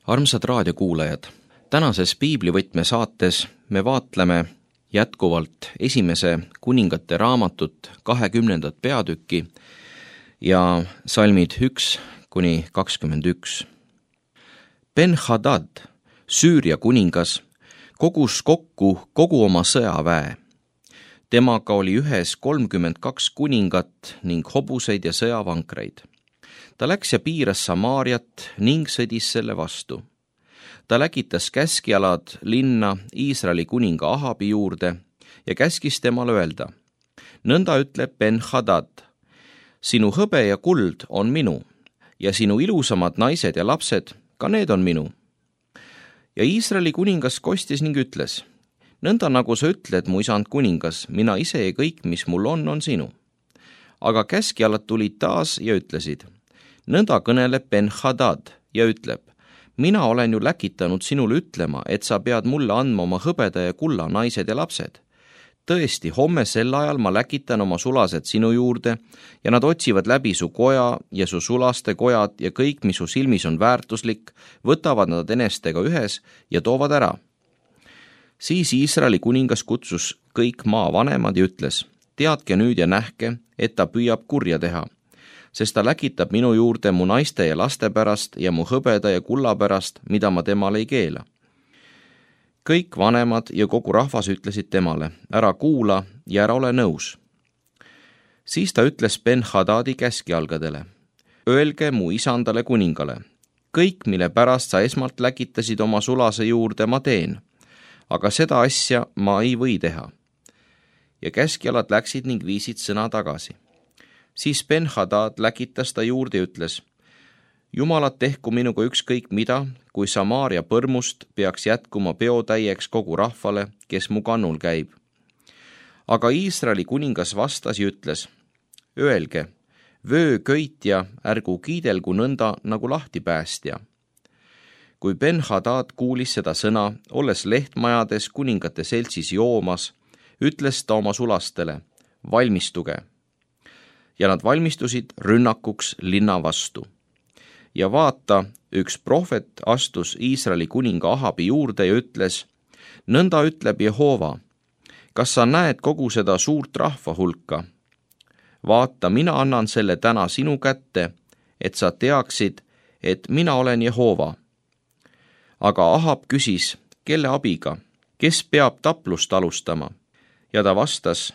Armsad raadiokuulajad, tänases piiblivõtme saates me vaatleme jätkuvalt esimese kuningate raamatut 20. peatükki ja salmid 1-21. Ben-Hadad, Süüria kuningas, kogus kokku kogu oma sõjaväe. Temaga oli ühes 32 kuningat ning hobuseid ja sõjavankreid. Ta läks ja piiras Samaariat ning sõdis selle vastu. Ta läkitas käskjalad linna Iisraeli kuninga Ahabi juurde ja käskis temale öelda: nõnda ütleb Ben-Hadad, sinu hõbe ja kuld on minu ja sinu ilusamad naised ja lapsed, ka need on minu. Ja Iisraeli kuningas kostis ning ütles: nõnda nagu sa ütled, mu isand kuningas, mina ise ja kõik, mis mul on sinu. Aga käskjalad tulid taas ja ütlesid: nõnda kõneleb Ben-Hadad ja ütleb: mina olen ju läkitanud sinule ütlema, et sa pead mulle andma oma hõbeda ja kulla naised ja lapsed. Tõesti, homme sel ajal ma läkitan oma sulased sinu juurde ja nad otsivad läbi su koja ja su sulaste kojad ja kõik, mis su silmis on väärtuslik, võtavad nad enestega ühes ja toovad ära. Siis Iisraeli kuningas kutsus kõik maavanemad ja ütles: teadke nüüd ja nähke, et ta püüab kurja teha, sest ta läkitab minu juurde mu naiste ja laste pärast ja mu hõbeda ja kulla pärast, mida ma temale ei keela. Kõik vanemad ja kogu rahvas ütlesid temale: ära kuula ja ära ole nõus. Siis ta ütles Ben-Hadadi käskjalgadele: öelge mu isandale kuningale, kõik, mille pärast sa esmalt läkitasid oma sulase juurde, ma teen, aga seda asja ma ei või teha. Ja käskjalad läksid ning viisid sõna tagasi. Siis Ben-Hadad läkitas ta juurde ja ütles: Jumalad tehku minuga ükskõik mida, kui Samaaria põrmust peaks jätkuma peotäieks kogu rahvale, kes mu kannul käib. Aga Iisraeli kuningas vastas ja ütles: öelge, vöököitja ärgu kiidelgu nõnda nagu lahtipäästja. Kui Ben-Hadad kuulis seda sõna, olles lehtmajades kuningate seltsis joomas, ütles ta oma sulastele: valmistuge. Ja nad valmistusid rünnakuks linna vastu. Ja vaata, üks prohvet astus Iisraeli kuninga Ahabi juurde ja ütles: nõnda ütleb Jehova, kas sa näed kogu seda suurt rahva hulka? Vaata, mina annan selle täna sinu kätte, et sa teaksid, et mina olen Jehova. Aga Ahab küsis: kelle abiga? Kes peab taplust alustama? Ja ta vastas: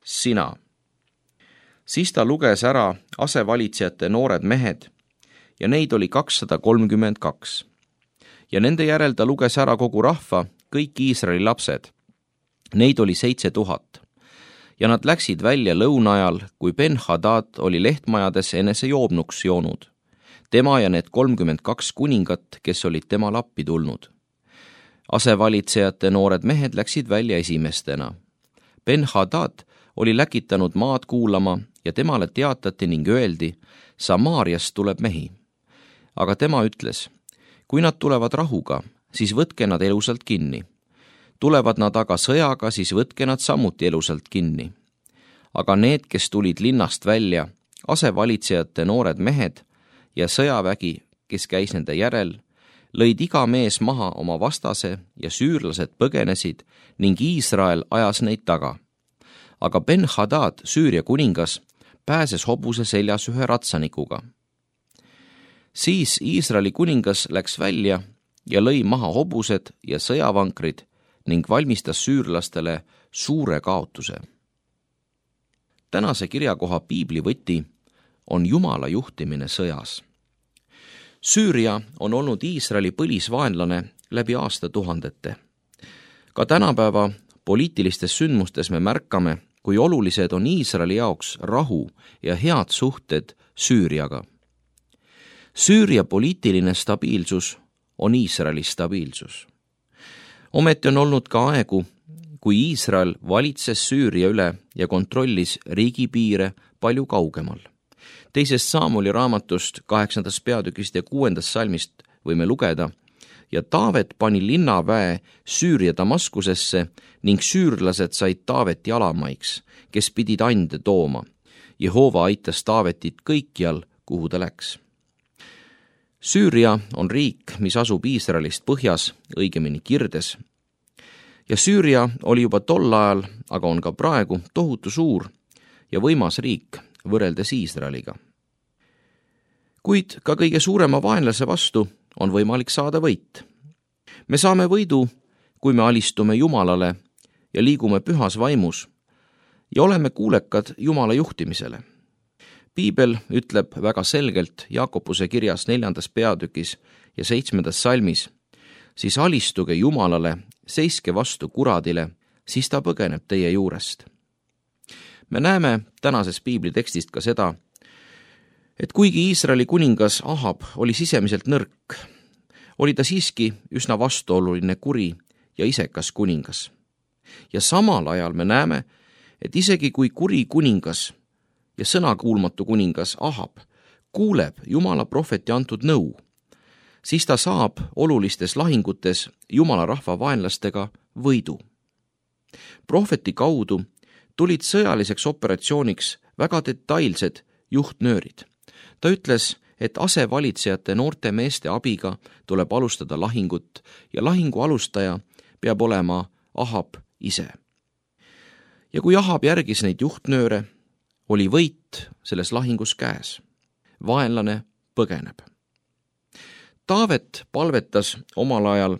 sina. Siis ta luges ära asevalitsejate noored mehed ja neid oli 232. Ja nende järel ta luges ära kogu rahva, kõik Iisraeli lapsed. Neid oli 7000. Ja nad läksid välja lõuna ajal, kui Ben-Hadad oli lehtmajades enese joobnuks joonud. Tema ja need 32 kuningat, kes olid tema lappi tulnud. Asevalitsejate noored mehed läksid välja esimestena. Ben-Hadad oli läkitanud maad kuulama ja temale teatati ning öeldi: Samaariast tuleb mehi. Aga tema ütles: kui nad tulevad rahuga, siis võtke nad elusalt kinni. Tulevad nad aga sõjaga, siis võtke nad samuti elusalt kinni. Aga need, kes tulid linnast välja, asevalitsejate noored mehed ja sõjavägi, kes käis nende järel, lõid iga mees maha oma vastase ja süürlased põgenesid ning Iisrael ajas neid taga. Aga Ben-Hadad, Süüria kuningas, pääses hobuse seljas ühe ratsanikuga. Siis Iisraeli kuningas läks välja ja lõi maha hobused ja sõjavankrid ning valmistas süürlastele suure kaotuse. Tänase kirjakoha piiblivõti on Jumala juhtimine sõjas. Süüria on olnud Iisraeli põlisvaenlane läbi aastatuhandete. Ka tänapäeva poliitilistes sündmustes me märkame, kui olulised on Iisraeli jaoks rahu ja head suhted Süüriaga. Süüria poliitiline stabiilsus on Iisraeli stabiilsus. Ometi on olnud ka aegu, kui Iisrael valitses Süüria üle ja kontrollis riigipiire palju kaugemal. 2. Saamuli raamatust 8. peatükist ja 6. salmist võime lugeda: ja Taavet pani linnaväe Süüria Damaskusesse ning süürlased said Taaveti alamaiks, kes pidid ande tooma. Jehova aitas Taavetit kõikjal, kuhu ta läks. Süüria on riik, mis asub Iisraelist põhjas, õigemini kirdes. Ja Süüria oli juba tol ajal, aga on ka praegu tohutu suur ja võimas riik võrreldes Iisraeliga. Kuid ka kõige suurema vaenlase vastu on võimalik saada võit. Me saame võidu, kui me alistume Jumalale ja liigume pühas vaimus ja oleme kuulekad Jumala juhtimisele. Piibel ütleb väga selgelt Jaakobuse kirjas 4. peatükis ja 7. salmis, siis alistuge Jumalale, seiske vastu kuradile, siis ta põgeneb teie juurest. Me näeme tänases piibli tekstist ka seda, et kuigi Iisraeli kuningas Ahab oli sisemiselt nõrk, oli ta siiski üsna vastuoluline, kuri ja isekas kuningas. Ja samal ajal me näeme, et isegi kui kuri kuningas ja sõnakuulmatu kuningas Ahab kuuleb Jumala prohveti antud nõu, siis ta saab olulistes lahingutes Jumala rahva vaenlastega võidu. Prohveti kaudu tulid sõjaliseks operatsiooniks väga detailsed juhtnöörid. Ta ütles, et asevalitsejate noorte meeste abiga tuleb alustada lahingut ja lahingu alustaja peab olema Ahab ise. Ja kui Ahab järgis neid juhtnööre, oli võit selles lahingus käes. Vaenlane põgeneb. Taavet palvetas omal ajal: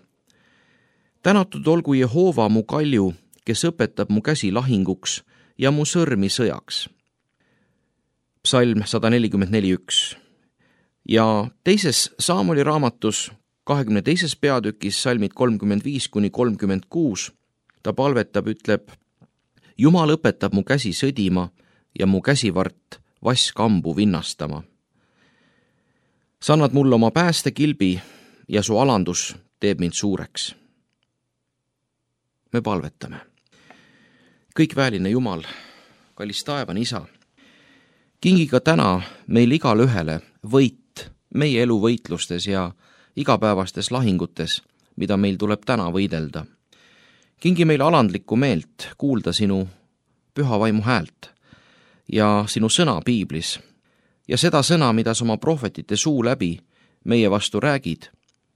tänatud olgu Jehova mu kalju, kes õpetab mu käsi lahinguks ja mu sõrmi sõjaks. Psalm 144:1. Ja teises Saamoli raamatus 22. peatükis salmid 35-36 ta palvetab, ütleb: Jumal õpetab mu käsi sõdima ja mu käsivart vasskambu vinnastama. Sa annad mulle oma päästekilbi ja su alandus teeb mind suureks. Me palvetame. Kõikväeline Jumal, kallis taevane Isa, kingi ka täna meil igale ühele võit meie elu võitlustes ja igapäevastes lahingutes, mida meil tuleb täna võidelda. Kingi meile alandlikku meelt kuulda sinu püha vaimu häält ja sinu sõna piiblis ja seda sõna, mida sa oma prohvetite suu läbi meie vastu räägid,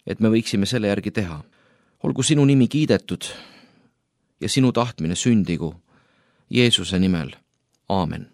et me võiksime selle järgi teha. Olgu sinu nimi kiidetud ja sinu tahtmine sündigu Jeesuse nimel. Aamen.